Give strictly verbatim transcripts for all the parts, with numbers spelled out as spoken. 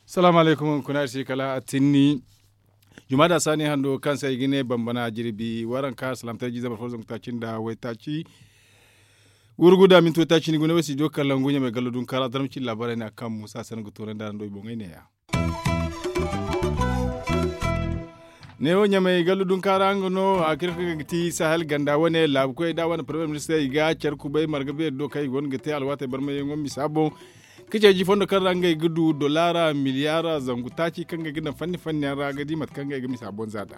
Salaamu aleykum, hunkuna iri si kala a tinni. Jumaada saani hando kaŋ se i ga ne bambana jirbi waranka salaamtay jiize barfo zangu taaci nda waytaaci. Wurgu da minti waytaaci ni gune way si diyo kalangu ɲamay gallo dunkaara darma cindi laabaarey ne a kaŋ muusa se no ga toonandi araŋ do i boŋey ne-ya. Neewo ɲamay gallo dunkaara nga no a kira kaŋ ga ti sahel ganda wane laabukoy da wane parmiye ministirey i ga care kubay marga beeri do kaŋ i go no ga te alwaatey barmayyaŋo misa boŋ. Ka ceeji fondo kaŋ ra ngey ga du dolaara miliyaara zangu taaci kaŋ ngey ga daŋ fanni fanni yaŋ ra ga di mate kaŋ ngey ga misa boŋ za da.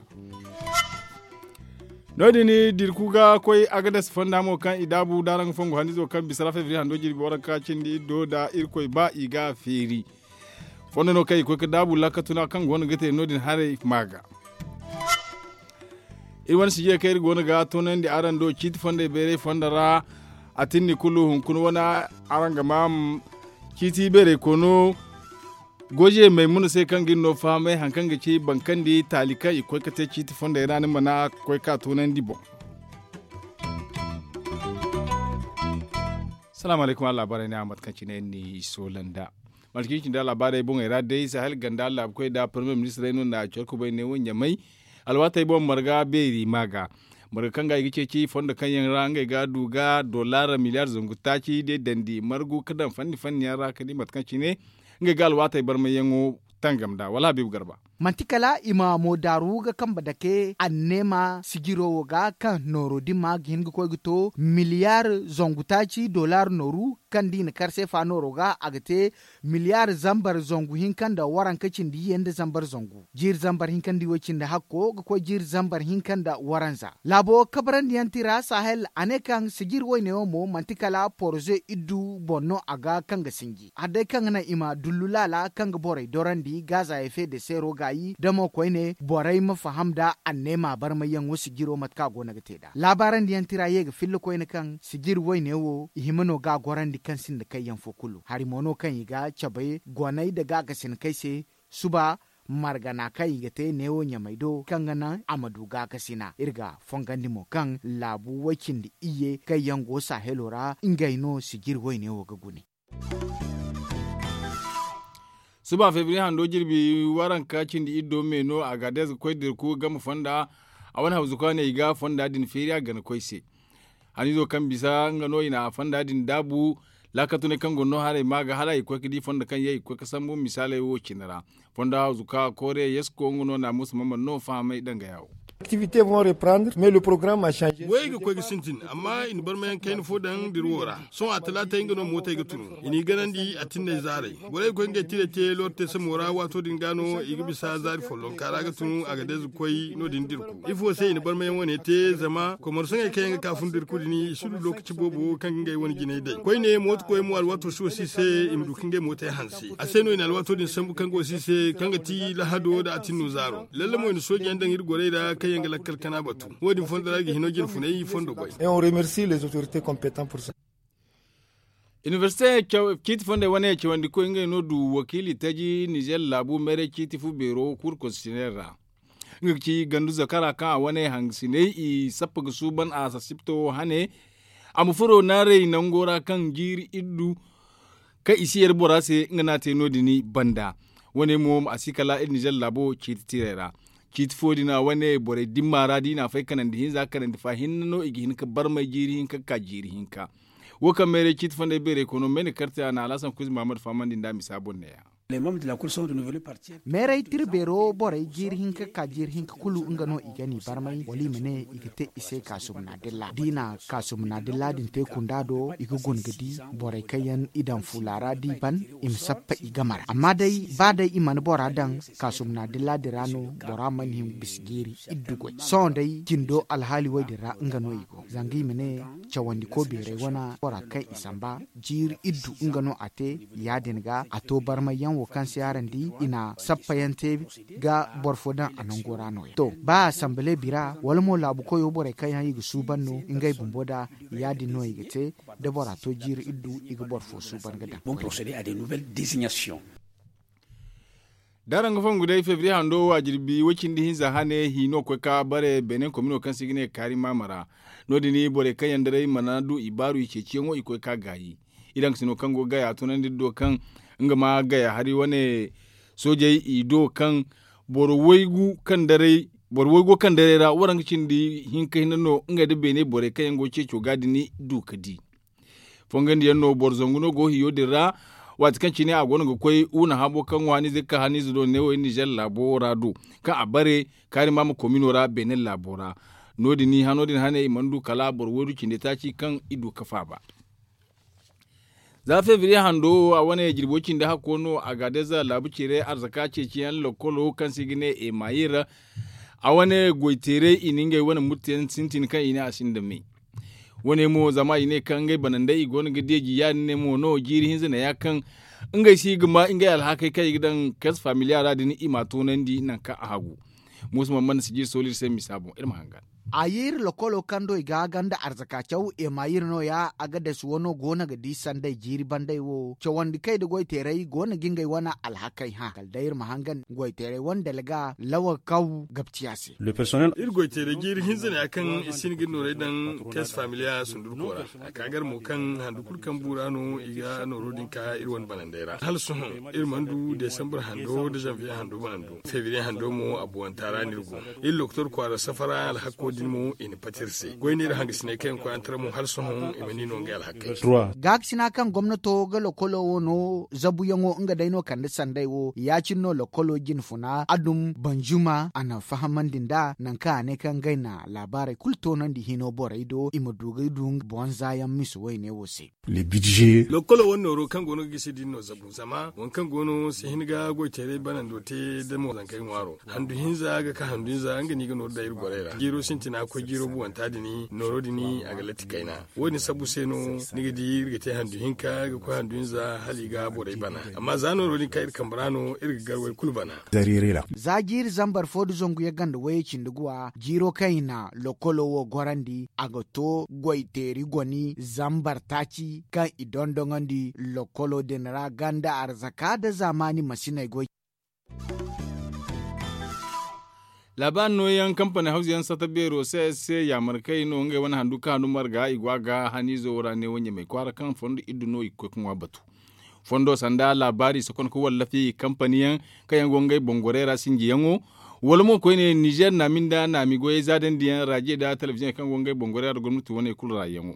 No- din dirku ga koy agadas fonda mo kaŋ i daabu da araŋ ga fongu hannizo kaŋ bisa ra fevriye hando jirbi waranka cindi iddo da irkoy ba i ga feeri. Fondo no kaŋ i koy ga daabu laakatuna kaŋ go no ga te no- din haray ma ga. Iri wane sijey kaŋ iri go no ga toonandi araŋ do ciiti fondey bayray fondo ra. A tinni kulu hunkuna wane araŋ ga ma ciiti bayray kono goje maymuna se kaŋ ga iri no fahamay hari kaŋ ga ci bankandi taali kaŋ i koy ga te ciiti fondey ra ni mana koy ka toonandi boŋ. Salaamu aleykum araŋ laabaarey ne a mate kaŋ cine iri n'i soola nd'a. Mate kaŋ i ci nda laabaarey boŋey ra day sahel ganda laabukoy nda parmiye ministirey no nda care kubay ne wo ɲamay. Alwaatey boŋ marga beeri ma ga marga kaŋ ga i ga ceeci fondo kaŋ yaŋ ra ngey ga du ga dolaara miliyaar zangu taaci day dandi margu ga daŋ fanni fanni yaŋ ra ka di mate kaŋ cine ngey ga alwaatey barmayyaŋo tangam nd'a wala habiibu garba. Manti kala i ma moodaaru ga kambe dake anneema sijiro wo ga kaŋ nooro din ma ga hin ga koy ga to miliyaar zangu taaci dolaar nooru kaŋ da i na kar seefa nooro ga a ga te miliyaar zambar zangu hinka nda waranka cindi iyye nda zambar zangu jiiri zambar hinka nda iway cindi hakko ga koy jiiri zambar hinka nda waranza. Laabo kabarandi yaŋ ti ra sahel a ne kaŋ sijiri wayne wo mo manti kala poroze iddu boŋ no a ga kaŋ ga sinji hari day kaŋ ga naŋ i ma dullu laala kaŋ ga borey dorandi gaaza efe de seero gaayi da mo koyne borey ma faham nda anneema barmayyaŋo sijiro mate kaŋ a go no ga te nd'a laabaarandi yaŋ tira ye ga filla koyne kaŋ sijiri wayne wo i hima no ga a gorandi kaŋ sinda kayyaŋ fo kulu hari mo no kaŋ i ga cabe goney nda gaakasinakey se. Suba margana kaŋ i ga te neewo ɲamay do kaŋ ga naŋ a ma du gaakasina iri ga fongandi mo kaŋ laabu way-cindi iyye kaŋ yaŋ go sahelo ra ngey no sijiri wayne wo ga gune. Suba febriye hando jirbi waranka cindi iddo me no a ga day ga koy dirku game fonda. A wane hawzuka ne i ga fonda din feeri a gana koy se. Haniizo kaŋ bisa nga no i na a fonda din daabu. Laakatunay kaŋ go no haray ma ga hala i ga koy ga di fondo kaŋ yaŋ i ga koy ga sambu misaaley wo cine ra. Fondo hawzuka koore yesko nga no naamusa mamman no fahamay danga yawo. Activités vont reprendre mais le programme a changé. Goyey ga koy ga sintin amma i na barmayaŋ kayna fo daŋ dira wo ra. Sohõ a talaatay nga no mootey ga tunu i n'i ganandi a tinney zaaray. Borey ga koy ngey tirey te lorte samo ra waato din ga no i ga bisa zaari follonka ra ga tunu a ga deeza koy no- din dirku ifo se i na barmayaŋ wane te zama komarsaŋey kaŋ yaŋ ga ka fun dirku din i si du lookaci boobo kaŋ ga ngey wane jinay day koyne mooto koy mo alwaato si wo si se i ma du ka ngey mootey hanse a se no i na alwaato din sambu kaŋ go si se kaŋ ga ti lahado nda a tinno zaaro lalle mo i na soojeyaŋ daŋ iri gorey ra kaŋ yaŋ ga lakkal kana batu. Wo- din fondo ra i ga hino jine funay fondo goy. Inibersite ciiti fondey wane cawandikoy ngey no du wakiili taji nizer laabu meeray ciiti fu beero kuuru konstitisyonel ra. Nga ga ci gandu zakara kaŋ a wane hangasiney i sappa ga suuban a sasibto hane. A ma furo naaray nango ra kaŋ jiiri iddu kaŋ i si yar bora se nga no a te no- din banda. Wane mo a si kala iri nizer laabo ciiti tiray ra. Ciiti fo din a wane borey dimma ra da i na a fay kanandi hinza kanandi fa hinne no i ga hin ga barmay jiiri hinka ga ka jiiri hinka. Wo kaŋ mayray ciiti fonday beeray kono mayna karte a na alhasan kuuzi mahamad fahamandi nda a misa boŋ neeya. Mayray tira beero borey jiiri hinka ga ka jiiri hinka kulu nga no i ga ni barmay wala i ma ne i ga te i se kaasumna dilla da i na kaasumna dilla din te kunda do i ga guna ga di borey kaŋ yaŋ i daŋ fuula ra da i ban i ma sappa i game ra amma day ba day i mana bora daŋ kaasumna dilla din ra no bora mana hin bisa jiiri iddu goy sohõ day jindo alhaali way din ra nga no i go zanga i ma ne cawandiko beeray wane bora kaŋ i samba jiiri iddu nga no a te ya- din ga a to barmay yaŋ wo kaŋ se araŋ di i na sappa yaŋ te ga boro fo daŋ a nango ra no- ya to ba a sambale bira wala mo laabu koyo borey kaŋ yaŋ i ga suuban no ngey bumbo da ya- din no i ga te da bora to jiiri iddu i ga boro fo suuban ga daŋ. Da araŋ ga fongu day febriye hando wo a jirbi way-cindi hinza hane hi no ga koy ka bare benin komino kaŋ se i ga ne kaari maama ra. No- din borey kaŋ yaŋ daray mana du i baaru i ceeciyaŋo i koy ka gaayi. Iri haŋ ga sino kaŋ go ga gaya a tunandi iri do kaŋ nga ma gaya hari wane soojey i do kaŋ boro waygu kaŋ daray ra waranka cindi hinka hinne no ngey nda beene borey kaŋ yaŋ go ga ceeco ga din du ga di. Fongandi yaŋ no boro zangu no go hiyo din ra. Waati kaŋ cine a go no ga koy wuna habo kaŋ waani ze ga ka haniize do neewo iri nizer laabo ra do kaŋ a bare kaari maama komino ra benin laabo ra. No- din hano din hane i mana du kala boro waydu cindi taaci kaŋ i du ga faaba. Za febriye hando wo a wane jirbo cindi hakko no a ga deza laabu cire arzaka ceeciyaŋ lokolo kaŋ se i ga ne emayir. A wane goy teeray i na ngey wane murteyaŋ sintin kaŋ i ne a sinda me. Wane mo zama i ne kaŋ ngey banandey i go no ga deeji ya- din ne mo no jiiri hinza neeya kaŋ ngey si ga ma ngey alhakey kaŋ i ga daŋ kes familiya ra din i m'a toonandi nangu kaŋ a hagu. Muusa mana mana si jiiri sooli iri se misa boŋ iri ma hangan. A ye iri lokolo kaŋ do i ga ganda arzaka caw emayir no- ya a ga dasi wano go no ga di sanday jiiri banday wo cawandi kay nda goy teeray go no ga ngey wane alhakey hã kala day iri ma hangan goy teeray wane dalga lawa kaw gabciya se. Iri goy teeray jiiri hinza neeya kaŋ i si hin ga iri noorey daŋ kes familiya sundurko ra. A ka gar mo kaŋ handu kulu kaŋ bu ra no i ga nooro din ka iri wane banandey ra hala sohõ iri mana du desambar hando nda zanviye hando mana du febriye hando mo a buwanta ra no iri go. Iri lokotor kwaara safara alhako din mo i na pati iri se goy no iri hangasiney kaŋ yaŋ koy antara mo hala sohõ i mana i no ngey alhakey. Gaakasina kaŋ gomnato ga lokolo wo no zabuyaŋo nga day no kande sanday wo ya- cine no lokolo jinfuna adum banjuma a na fahamandi nd'a nangu kaŋ a ne kaŋ ngey na laabaarey kulu toonandi hino borey do i ma du ga du boŋ zaayaŋ mise wayne wo se. Lokkolo wane nooro kaŋ go no ga gisi din no zabu zama waŋ kaŋ go no si hin ga goy teeray banando te da mo zankey ŋwaaro handu hinza ga ka handu hinza nga no i ga nooru daŋ iri borey ra jiiro sintina koy jiiro buwanta din nooro din a ga latti kayna. Wo- din sabu se no ni ga di iri ga te handu hinka ga koy handu hinza hala i ga borey bana. Amma za nooro din kaŋ iri kambe ra no iri ga gar way kulu bana. Za jiiri zambar fo nda zangu yagga nda wayey cindi guwa jiiro kaŋ i na lokkolo wo gorandi a ga to goy teeri goni zambar taaci kaŋ i dondoŋandi lokkolo din ra ganda arzaka nda zaamaani masiney goy. Laabaari nooyaŋ kampani hawzu yaŋ sata beero se se yaamarkey no ngey wane handu kaŋ handu marga i go a ga haniizo wo ra neewo ɲamey kwaara kaŋ fondo iddu no i ga koy ga ŋwa batu. Fondo sanda laabaari sokon ga wallafi kampani yaŋ kaŋ yaŋ go ngey boŋ gorey ra sinjiyaŋo wala mo koyne nizer naami nda naami goyey zaadandi yaŋ raje nda telebiziyoŋey kaŋ go ngey boŋ gorey ra nda gomnati wane kulu raayaŋo.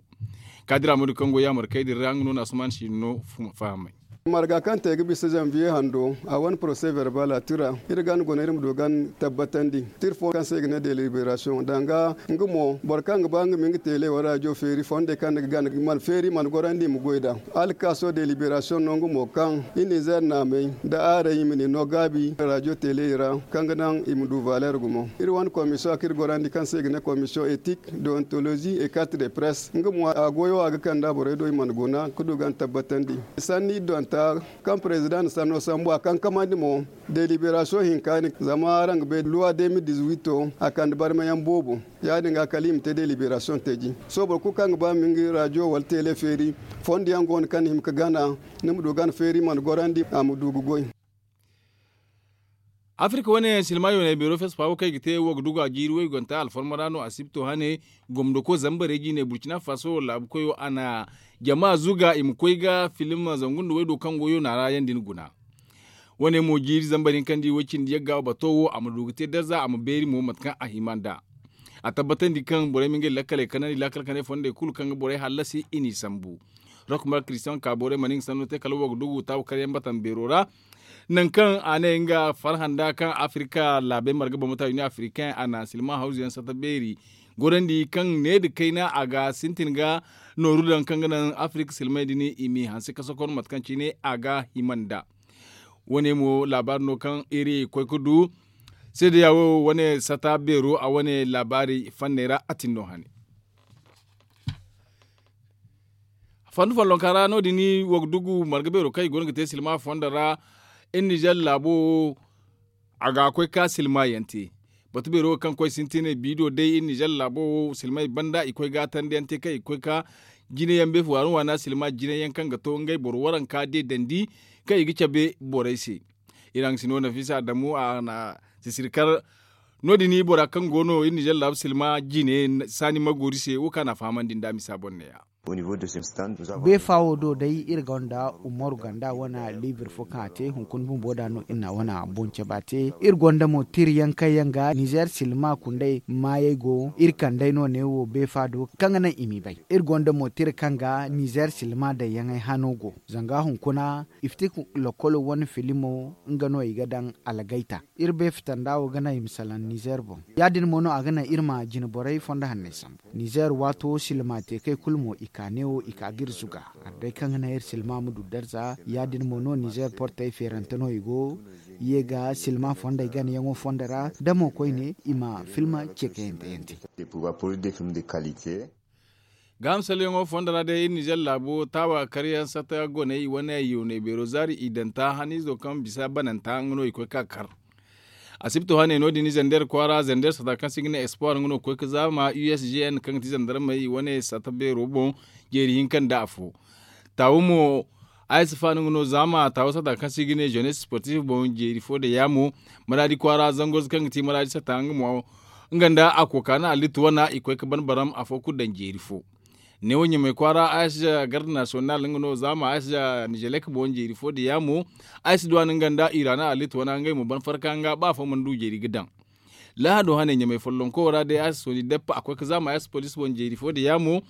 Kaadira moodi kaŋ go yaamarkey din ra nga no na asuman si no fahamay. Marga kaŋ te ga bisa zanviye hando a wane porose verbal a tira iri ganda guna iri ma du ganda tabbatandi. Tir fo kaŋ se i ga ne deliberasiyoŋ danga nga mo boro kaŋ ga ba nga ma nga teele wala rajo feeri fondey kaŋ ni ga gana mana feeri mana gorandi i ma goy nd'a. Alkaaso deliberasiyoŋ no nga mo kaŋ i nizer naamey nda aaray i ma ni no gaabi rajo teeley ra kaŋ ga naŋ i ma du valer gumo. Iri wane komisiyoŋ kaŋ iri gorandi kaŋ se i ga ne komisiyoŋ etik, deontolozi e karte de press nga mo a goyo a ga kand'a borey do i mana guna ga du ganda tabbatandi. Sanni iri donta kaŋ prezidaŋ na sanno sambu a kankamandi mo deliberasiyoŋ hinka din zama araŋ ga bay luwa de mil dizuwito a kande barmayaŋ boobo. Ya- din ga kala i ma te deliberasiyoŋ teeji sohõ boro kulu kaŋ ga ba ma nga rajo wala teele feeri fondo yaŋ go no kaŋ ni hima ga gana ni ma du gana feeri mana gorandi a ma du ga goy. Afirka wane silma yoonay beero fespa wo kaŋ i ga te wo ga dugu a jiiri waygonta alfarma ra no asibto hane gomdoko zambarey jiine burkina faso laabu koyo a na jama zuga i ma koy ga filim zangu nda waydo kaŋ go yoona ra yaŋ din guna. Wane mo jiiri zambar hinka nda i way cindi yagga bato wo a ma du ga te darza a ma beeri mo mate kaŋ a hima nd'a. A tabbatandi kaŋ borey ma ngey lakkaley kanandi lakkal kanay fondey kulu kaŋ ga borey hallasi i n'i sambu. Rokmar kristiyaŋ kaaborey mana nga sanno te kala wo ga dugu taabu karyaŋ batan beero ra. Nangu kaŋ a ne nga farhã nda kaŋ afirika laabey marga bambata union africain a na silma hawzu yaŋ sata beeri. Gorandi kaŋ ne nda kayna a ga sintin ga nooru daŋ kaŋ ga naŋ afirika silmey din i m'i hanse ka sokon mate kaŋ cine a ga hima nd'a. Wane mo laabaari no kaŋ iri koy ga du seedeya wo wane sata beero a wane laabaari fanney ra a tin no hane. Fandu follonka ra no- din wo ga dugu marga beero kaŋ i go no ga te silma fondo ra. Iri nizer laabo wo a ga koy ka silma yaŋ te. Batu beero wo kaŋ koy sintinay biido day iri nizer laabo wo silmay banda i koy ga tandi yaŋ te kaŋ i ga koy ka jine yaŋ beefu waana waana silma jine yaŋ kaŋ ga to ngey boro waranka deedandi kaŋ i ga cabe borey se. Iri haŋ si no nafisa adamu a na sisiri kar. No- din bora kaŋ go no iri nizer laabu silma jine saani magoori se wo kaŋ a na a fahamandi nd'a misa boŋ neeya. Beefa wo do day iri gonda umaru ganda wane liibir fo kaŋ a te hunkuna bumbo da no iri na wane boŋ caba te. Iri gonda mo tiri yaŋ kaŋ yaŋ ga nizer silma kundey maayey go iri kandey no neewo beefa do kaŋ ga naŋ i m'i bay. Iri gonda mo tiri kaŋ ga nizer silma dayyaŋey hano go zanga hunkuna iftik lokolo wane filimo nga no i ga daŋ algayta. Iri bay fitanda wo ga naŋ i ma salaŋ nizer boŋ. Ya- din mo no a ga naŋ iri ma jine borey fondo hanney sambu. Nizer waato silma te kay kulu mo i ka neewo i ka ga iri zuga. Hari day kaŋ ga naŋ iri silma ma du darza ya- din mo no nizer portey feerante no i go. Ye ga silma fondey ganayaŋo fondo ra da mo koyne i ma filma ceekayante yaŋ te. Gaaham salyaŋo fondo ra day iri nizer laabo taawa karyaŋ sata goney i wane yooney beero zaari i daŋ ta haniizo kaŋ bisa bananta nga no i koy ka kar. Asibto hane no- din zander kwaara zander sata kaŋ se i ga ne espoir nga no ga koy ga zaama usgn kaŋ ga ti zandarmey i wane sata beero boŋ. Jeeri hinka nda afo taawu mo. Ay si faani nga no zaama taawu sata kaŋ se i ga ne jeunesse sportif boŋ jeeri fo da yaamo. Maraadi kwaara zangoz kaŋ ga ti maraadi sata nga mo nga nda a kooka na allitu wana i koy ga ban baram afo kulu daŋ jeeri fo. Neewo ɲamay kwaara ayas garde nasiyonal nga no zaama ayas nizelek boŋ jeeri fo da yaamo. Ayas duw'a no nga nda ira na allitu wana ngey mo ban farka nga ba afo mana du jeeri ga daŋ. Lahado hane ɲamay follonko ra day ayas sooni deppa a koy ga zaama ayas police boŋ jeeri fo da yaamo.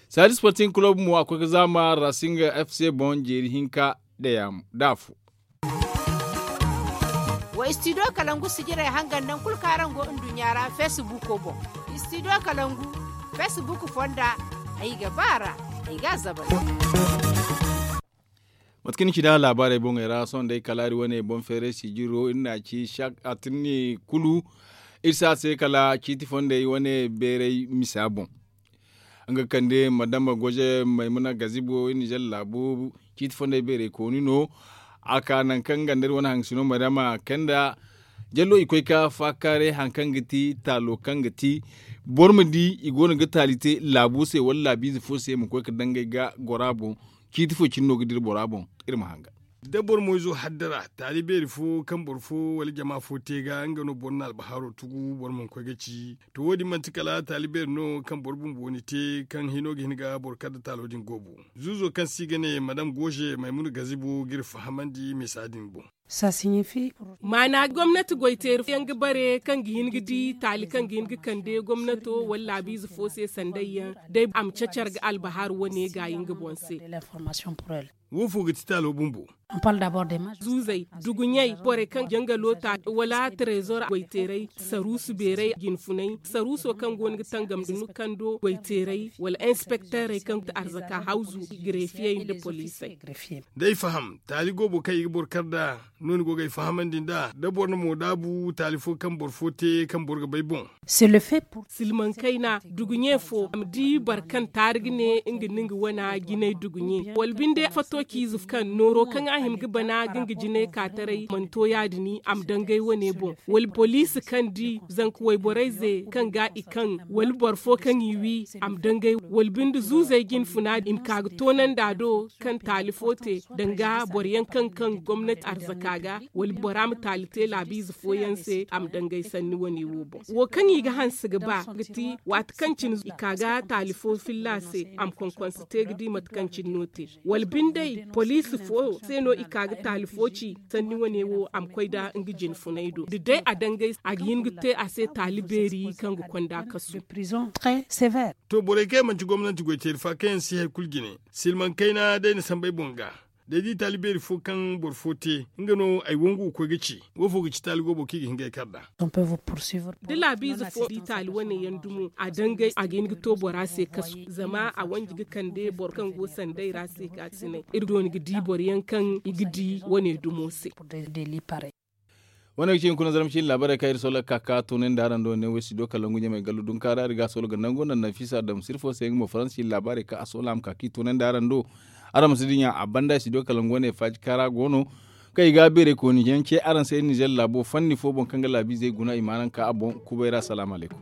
Saadi sporting club mo a koy ga zaama racing fc boŋ jeeri hinka da afo. Wa studio kalangu sijirey hangan naŋ kulu kaŋ araŋ go nduɲɲa ra facebook boŋ. Studio kalangu facebook fonda ay ga ba ra ay ga a zabal. Mate kaŋ ni ci da laabaarey boŋey ra sohõ day kala iri wane boŋ feeray sijiro iri n'a ci a tirni kulu. Iri si a se kala ciiti fondey wane beeray misa boŋ. Nga kande madama goje maymuna gazibo iri nizer laabu ciiti fondey beeray kooni no. A ka nangu kaŋ nga nda iri wane haŋ sino madama kanda jallo i koy ka faakaaray haŋ kaŋ ga ti taalo kaŋ ga ti boro ma di i go no ga taali te laabo se wala laabiize fo se i ma koy ga dangay ga goro a boŋ. Ciiti fo cine no ga dira bora boŋ. Iri ma hangan da boro mo izo haddara taali beeri fo kaŋ boro fo wala jama fo te ga nga no boro na albahaaro tugu boro mana koy ga ci. To wo- din manti kala taali beeri no kaŋ boro bumbo ni te kaŋ hino ga hin ga boro kar nda taalo din goobo. Zuuzo kaŋ se i ga ne madam gooze maymuna gazibo ga iri fahamandi misa din boŋ. Maana gomnati goy teeri fo yaŋ ga bare kaŋ ga hin ga di taali kaŋ ga hin ga kande gomnato wala laabiize fo se sanday yaŋ day a ma cacar ga albahar wane gaayi nga boŋ se. Wo fo ga ti taalo bumbo? Zuuzey duguɲey borey kaŋ jangalo ta wala trezor goy teeray saruusu beeray jinfunay saruuso kaŋ go no ga tangam da nukando goy teeray wala inspekteerey kaŋ ga ti arzaka hawzu grefiyey nda poliisey. Day faham taali goobo kaŋ i ga boro kar nd'a no ni go ga ay fahamandi nd'a da boro na mo daabu taali fo kaŋ boro fo te kaŋ boro ga bay boŋ. Silmaŋ kayna duguɲe fo a ma di boro kaŋ taari ga ne nga na nga wana jinay duguɲe wala binde fato ciize kaŋ nooro kaŋ a hima ga bana ga nga jinay ka taray mana to ya- din a ma dangay wane boŋ wala poliisi kaŋ di zanka wayborey ze kaŋ ga i kaŋ wala boro fo kaŋ i wi a ma dangay wala binde zuuzey jinfuna i ma ka ga toonandi a do kaŋ taali fo te danga boro yaŋ kaŋ kaŋ gomnati arzaka ga wala bora ma taali te laabiize fooyaŋ se a ma dangay sanni wane wo boŋ wo kaŋ i ga hanse ga ba ga ti waati kaŋ cine i ka ga taali fo filla se a ma konkonse te ga di mate kaŋ cine no te wala bindey poliisi fo se no i ka ga taali fo ci sanni wane wo a ma koy nda nga jinfunay do da day a dangay a ga hin ga te a se taali beeri kaŋ ga konda kasu. To borey kaŋ yaŋ manti gomnanti goy teeri fa kaŋ yaŋ si hari kulu jine silmaŋ kayna day na sambay boŋ ga day di taali beeri fo kaŋ boro fo te nga no ay wangu ga koy ga ci wo fo ga ci taali goobo kaŋ i ga hin ga ay kar nd'a. Da laabiize fo di taali wane yaŋ dumo a dangay a ga hin ga to bora se kasu zama a wanji ga kande boro kaŋ go sanday ra se ka sinay iri dooni ga di boro yaŋ kaŋ i ga di wane dumo se. Wane ga ci hunkuna zarma ciine laabaarey kaŋ iri soola ga ka ka toonandi araŋ do ne wo studio kalangu ɲamay gallu dunkaara iri ga a soola ga nangu naŋ nafisa damu sirfo se nga mo faransi ciine laabaarey kaŋ a soola a ma ka ka i toonandi araŋ do. Araŋ ma si dinya a banda studio kalangu wane faaji kaara go no kaŋ i ga beerey kooni yaŋ ce araŋ se nizer laabo fanni fo boŋ kaŋ ga laabiizey guna i ma araŋ ka a boŋ kubay ra salaamu alaykum.